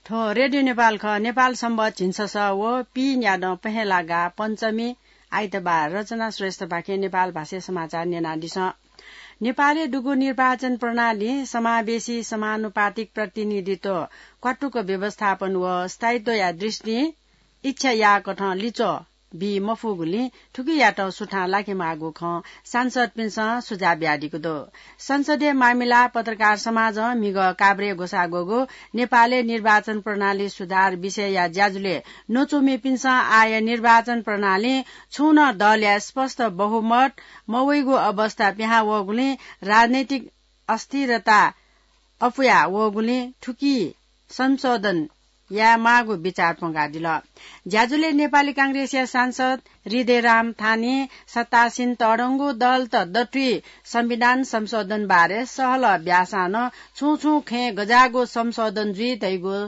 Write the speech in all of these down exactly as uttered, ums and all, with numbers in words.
थ्व रेडियो नेपाल खः। नेपाल संवत झिंछसः व पीन्यादँ पहेँलागा पञ्चमी आइतबार। रचना श्रेष्ठपाखें नेपाल भाषाय् समाचार न्यनादिसँ। नेपालय् दुगु निर्वाचन प्रणाली समावेशी समानुपातिक प्रतिनिधित्व क्वातुक व्यवस्थापन व स्थायित्वया दृष्टिं इच्छा याःकथं लिच्वः बी मफुगुलिं थुकियात सुथां लाकेमाःगु खँ सांसदपिन्सं सुझाव बियादीगु दु। संसदीय मामिला पत्रकार समाजं म्हिगः काभ्रे ग्वसाः ग्वःगु नेपालय् निर्वाचन प्रणाली सुधार विषयया ज्याझ्वलय् न्वचुमिपिन्सं आः निर्वाचन प्रणालीं छुं नं दलया स्पष्ट बहुमत मवइगु अवस्था पिहां वःगुलिं राजनैतिक अस्थिरता अपुया वःगुलिं थुकी संशोधन यायेमाःगु बिचाः प्वंकादिल। ज्याझ्वलय् नेपाली कांग्रेसया सांसद हृदयराम थानीं सत्तासीन तःधंगु दलत दथुइ संविधान संशोधन बारे सहलह ब्यासां नं छुं छुं खँय् गज्याःगु संशोधन जुइ धइगु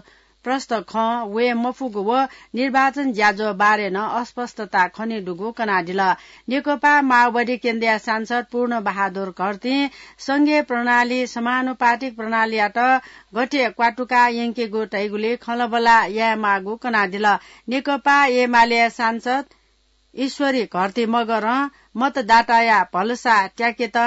प्रष्ट खँ वये मफुगु व निर्वाचन ज्याझ्वः बारे नं अस्पष्टता खनेदुगु कनादिल। नेकपा माओवादी केन्द्रया सांसद पूर्ण बहादुर घरतीं संघीय प्रणाली समानुपातिक प्रणालीयात गथे क्वातुका यंकेगु धइगुलि खँल्हाबल्हा यायेमाःगु कनादिल। नेकपा एमालेया सांसद ईश्वरी घरती मगरं मतदाताया भलसा त्याकेत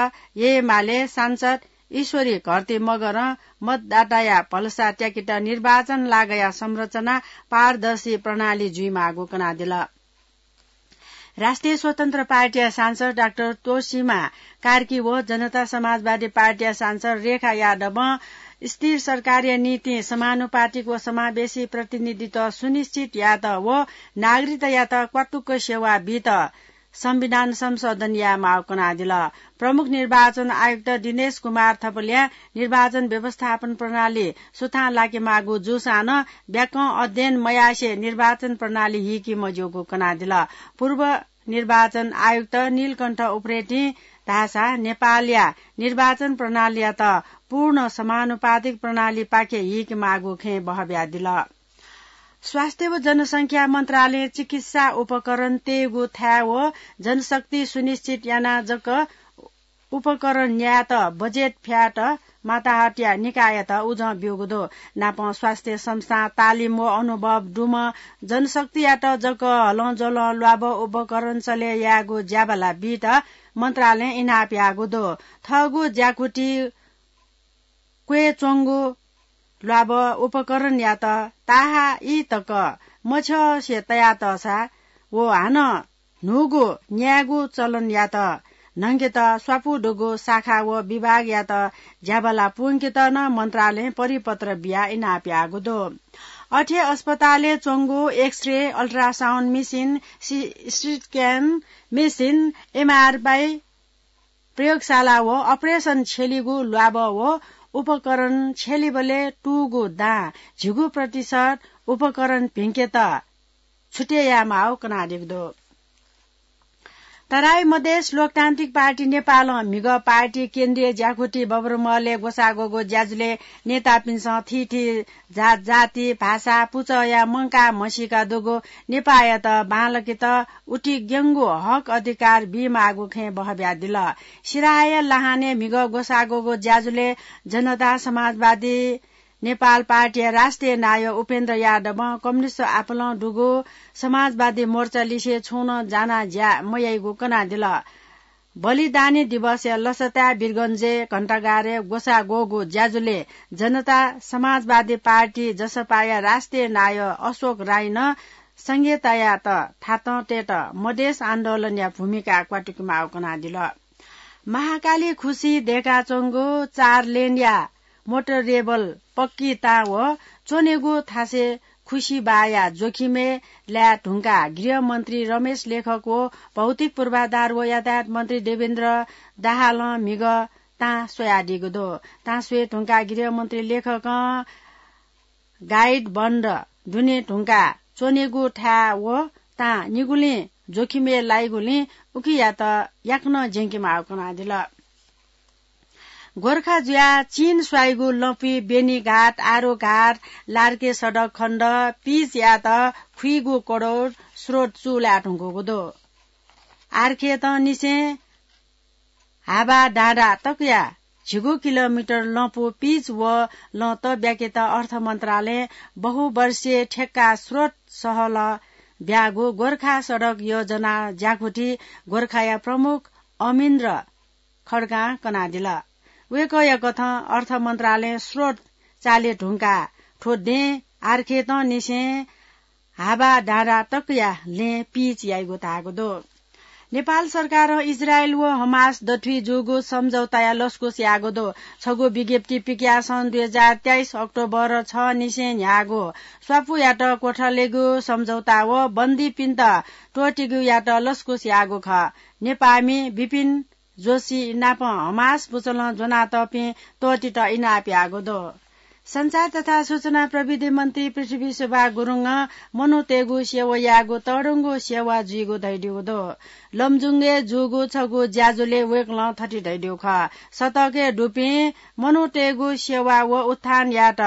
एमाले सांसद ईश्वरी घरती मगरं मतदाताया भलसा त्याकेत निर्वाचन लागया संरचना पारदर्शी प्रणाली जुइमाःगु कनादिल। राष्ट्रिय स्वतन्त्र पार्टीया सांसद डाक्टर तोसीमा कार्की व जनता समाजवादी पार्टीया सांसद रेखा यादवं स्थिर सरकारया निंतिं समानुपातिक व समावेशी प्रतिनिधित्व सुनिश्चित यायेत व नागरिकतायात क्वातुक सेवा बीत संविधान संशोधन यायेमाःगु कनादिल। प्रमुख निर्वाचन आयुक्त दिनेश कुमार थपलियां निर्वाचन व्यवस्थापन प्रणाली सुथां लाकेमाःगु जूसां नं ब्याकं अध्ययन मयासें निर्वाचन प्रणाली हीके मज्यूगु कनादिल। पूर्व निर्वाचन आयुक्त नीलकण्ठ उप्रेतीं धाःसा नेपालया निर्वाचन प्रणालीयात पूर्ण समानुपातिक प्रणालीपाखे हीकेमाःगु खँय् बहबियादिल। स्वास्थ्य व जनसंख्या मन्त्रालयं चिकित्सा उपकरण तयेगु थाय् व जनशक्ति सुनिश्चित यानाः जक उपकरण न्यायेत बजेट फ्यायेत माताहतया निकाययात उजं ब्यूगु दु। नापं स्वास्थ्य संस्था, तालिम व अनुभव दुम्ह जनशक्तियात जक हलंज्वलं ल्वाभः उपकरण चले यायेगु ज्याबाला बीत मन्त्रालयं इनाप याःगु दु। थःगु ज्याकुथि क्वय् च्वंगु ल्वाभः उपकरणयात ताहाः ई तक मछ्यसे तयातःसा व हानं न्हूगु न्यायेगु चलनयात न्हंकेत स्वापू दुगु शाखा व विभागयात ज्याबाला पूवंकेत नं मन्त्रालयं परिपत्र बियाः इनाप याःगु दु। अथे अस्पतालय् च्वंगु एक्सरे, अल्ट्रासाउन्ड मेसिन, सि-, सिटी स्क्यान मेसिन, एमआरआई प्रयोगशाला व अपरेसन छ्यलीगु ल्वाभः व उपकरण छ्यलीबलय् तूगु दां झिगू प्रतिशत उपकरण भिंकेत छुटे यायेमाःगु कनादीगु दु। तराई मधेस लोकतान्त्रिक पार्टी नेपालं म्हिगः पार्टी केन्द्रीय ज्याकुथि बबरमहलय् ग्वसाः ग्वःगु ज्याझ्वलय् नेतापिन्सं थीथी जात जाति, भाषा, पुचःया मंकाः म्हसीका दुगु नेपाःयात बांलाकेत उतिग्यंगु हक अधिकार बीमाःगु खँय् बहबियादिल। सिराहाया लहानय् म्हिगः ग्वसाः ग्वःगु ज्याझ्वलय् जनता समाजवादी नेपाल पार्टीया राष्ट्रिय नायः उपेन्द्र यादवं कम्युनिस्ट आपालं दुगु समाजवादी मोर्चा लिसे छुं नं जानाः ज्या मयाइगु कनादिल। बलिदानी दिवसया लसताय् वीरगंजय् घण्टाघरय् ग्वसाः ग्वःगु ज्याझ्वलय् जनता समाजवादी पार्टी जसपाया राष्ट्रिय नायः अशोक राईं नं संघीयतायात थातं तयेत मधेस आन्दोलनया भूमिका क्वातुकेमाःगु कनादिल। महाकाली खुसी दय्काच्वंगु चार लेनया मोटरेबल पक्की तां व च्वनेगु थासय् खुसी बाःया जोखिमय् लाये धुंकाः गृहमन्त्री रमेश लेखक व भौतिक पूर्वाधार व यातायात मन्त्री देवेन्द्र दाहालं म्हिगः तां स्वयादीगु दु। तां स्वये धुंकाः गृहमन्त्री लेखकं गाइड बन्द दुने धुंकाः च्वनेगु थाय् व तां निगुलिं जोखिमय् लाइगुलिं उकियात याकनं ज्यंकेमाःगु कनादिल। गोर्खा जुयाः चीन स्वाइगु लँपुइ बेनीघाट, आरुघाट, लार्के सडक खण्ड पिच यायेत खुइगु कोडौर स्रोत चूलाये धुंकूगु दु। आर्खेतं निसें हाबा डाँडा तकया झिगू किलोमिटर लँपु पिच व लँ तब्याकेत अर्थ मन्त्रालयं बहुवर्षीय ठेक्का स्रोत सहलह ब्यागु गोर्खा सडक योजना ज्याकुथि गोर्खाया प्रमुख अमिन्द्र खड्गां कनादिल। वय्कःया कथं अर्थ मन्त्रालयं स्रोत चाले धुंकाः थ्व दें आर्खेतंनिसें हाबा डाँडा तकया लँय् पिच याइगु धाःगु दु। नेपाल सरकारं इजरायल व हमास दथुइ जूगु सम्झौताया लसकुस याःगु दु। छगू विज्ञप्ति पिकयाः सन् दुई हजार तेइस अक्टोबर छ निसें न्ह्याःगु स्वापूयात क्वथलेगु सम्झौता व बन्दीपिन्त त्वःतिगुयात लसकुस याःगु खः। नेपाःमि विपिन जोशी नाप हमास पुचलं ज्वनातःपिं त्वःतित इनाप याःगु दु। सञ्चार तथा सूचना प्रविधि मन्त्री पृथ्वी शोभा गुरुङं मनूतय्गु सेवा यायेगु तःधंगु सेवा जुइगु धयादीगु दु। लमजुङय् जूगु छगू ज्याझ्वलय् वय्कलं थथे धयादीगु खः। सतकय् दुपिं मनूतय्गु सेवा व उत्थान यायेत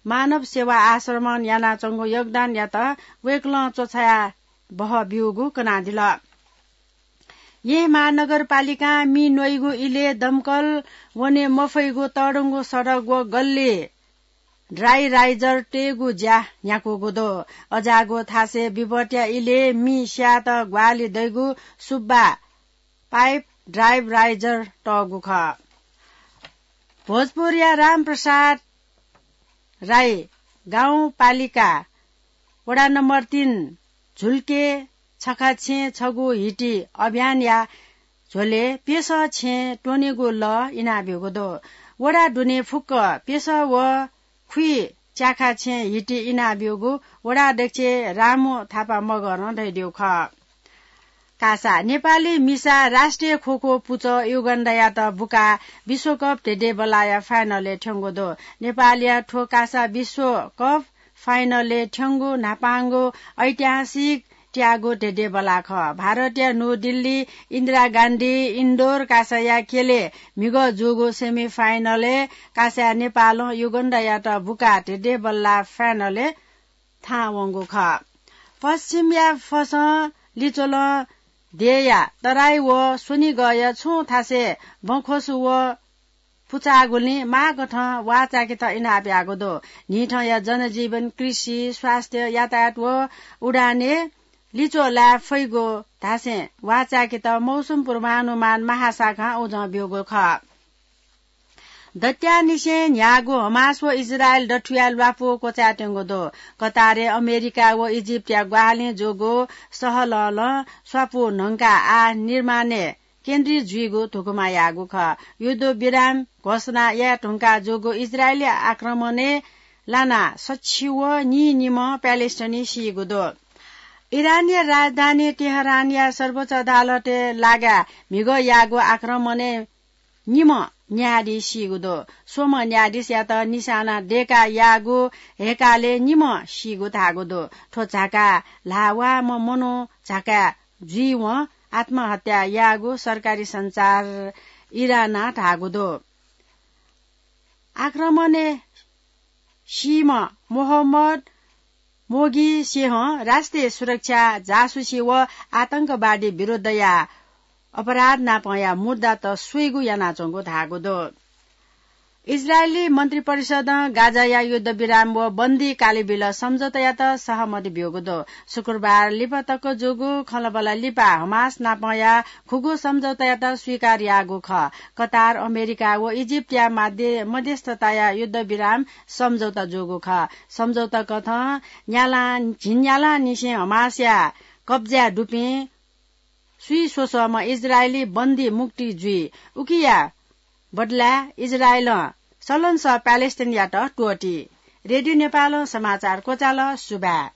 मानव सेवा आश्रमं यानाच्वंगु योगदानयात वय्कलं च्वछाया बहः ब्यूगु कनादिल। येँ महानगरपालिकां मि न्वइगु इलय् दमकल वने मफइगु तःधंगु सडक व गल्ली ड्राई राइजर तयेगु ज्या न्ह्याकूगु दु। अज्याःगु थासय् विपत्या इलय् मि स्यायेत ग्वाहालि दइगु सुब्बा पाइप ड्राई राइजर तःगु खः। भोजपुरया रामप्रसाद राई गाउँपालिका वडा नम्बर तीन झुल्के छखा छेँ छगू हिटी अभियानया झ्वलय् प्यसः छेँ त्वनेगु लः इनाब्यूगु दु। वडा दुने फुक्क प्यसः व खुइ च्याखा छेँ हिटी इनाब्यूगु वडा अध्यक्ष रामु थापा मगरं धयादीगु खः। कासा, नेपाली मिसा राष्ट्रिय खोखो पुचः युगान्डायात बुकाः विश्वकप धेंधेंबल्लाया फाइनलय् थ्यंगु दु। नेपालया थ्व कासा विश्वकप फाइनलय् थ्यंगु न्हापांगु ऐतिहासिक त्याःगु धेंधेंबल्ला खः। भारतया न्यू दिल्ली, इन्दिरा गान्धी इन्डोर कासाया ख्यलय् म्हिगः जूगु सेमिफाइनलय् कासाया नेपालं युगान्डायात बुकाः धेंधेंबल्ला फाइनलय् थाहां वंगु खः। पश्चिमया फसं लिच्वलं देय्‌या तराई व स्वनिगःया छुं थासय् बँख्वसु व पुचाःगुलिं माःगथं वाःचायेकेत इनाप याःगु दु। न्हिथंया जनजीवन, कृषि, स्वास्थ्य, यातायात व उडानय् लिच्वः लाये फइगु धासें वाःचायेकेत मौसम पूर्वानुमान महाशाखां उजं ब्यूगु खः। दत्यानिसें न्ह्याःगु हमास व इजरायल दथुया ल्वापु क्वचायेत्यंगु दु। कतारय् अमेरिका व इजिप्टया ग्वाहालिं जूगु सहलहलं स्वापु न्हंकाः आः निर्माणय् केन्द्रित जुइगु धुकुमा याःगु खः। युद्धविराम घोषणा याये धुंकाः जूगु इजरायली आक्रमणय् लानाः सछि व नीनिम्ह प्यालेस्टाइनी सीगु दु। इरानया राजधानी तेहरानया सर्वोच्च अदालतय् लागाः म्हिगः याःगु आक्रमणय् निम्ह न्यायाधीश सीगु दु। स्वम्ह न्यायाधीशयात निशाना दय्‌काः याःगु हय्‌कालय् निम्ह सीगु धाःगु दु। थ्व झाकाः ल्हाःवाःम्ह मनू झाकाय् जुइवं आत्महत्या याःगु सरकारी सञ्चार इरानं धाःगु दु। आक्रमणय् सीम्ह मोहम्मद मोगिसेहं राष्ट्रिय सुरक्षा, जासुसी व आतंकवादी विरुद्धया अपराध नापंया मुद्दात स्वइगु यानाच्वंगु धाःगु दु। इजरायली मन्त्रिपरिषदं गाजाया युद्धविराम व बन्दी कालेबिल सम्झौतायात सहमति ब्यूगु दु। शुक्रबार लिपा तक जूगु खँल्हाबल्हा लिपा हमास नापंया खुगू सम्झौतायात स्वीकार याःगु खः। कतार, अमेरिका व इजिप्टया माध्य-, मध्यस्थताया युद्धविराम सम्झौता जूगु खः। सम्झौता कथं न्यालां, झिंन्यालांनिसें हमासया कब्जाय् दुपिं स्वीस्वसःम्ह इजरायली बन्दी मुक्ति जुइ। उकिया बदलाय् इजरायलं सलंसः प्यालेस्टाइनयात त्वःती। रेडियो नेपालं समाचार क्वचाल। सुभाय्।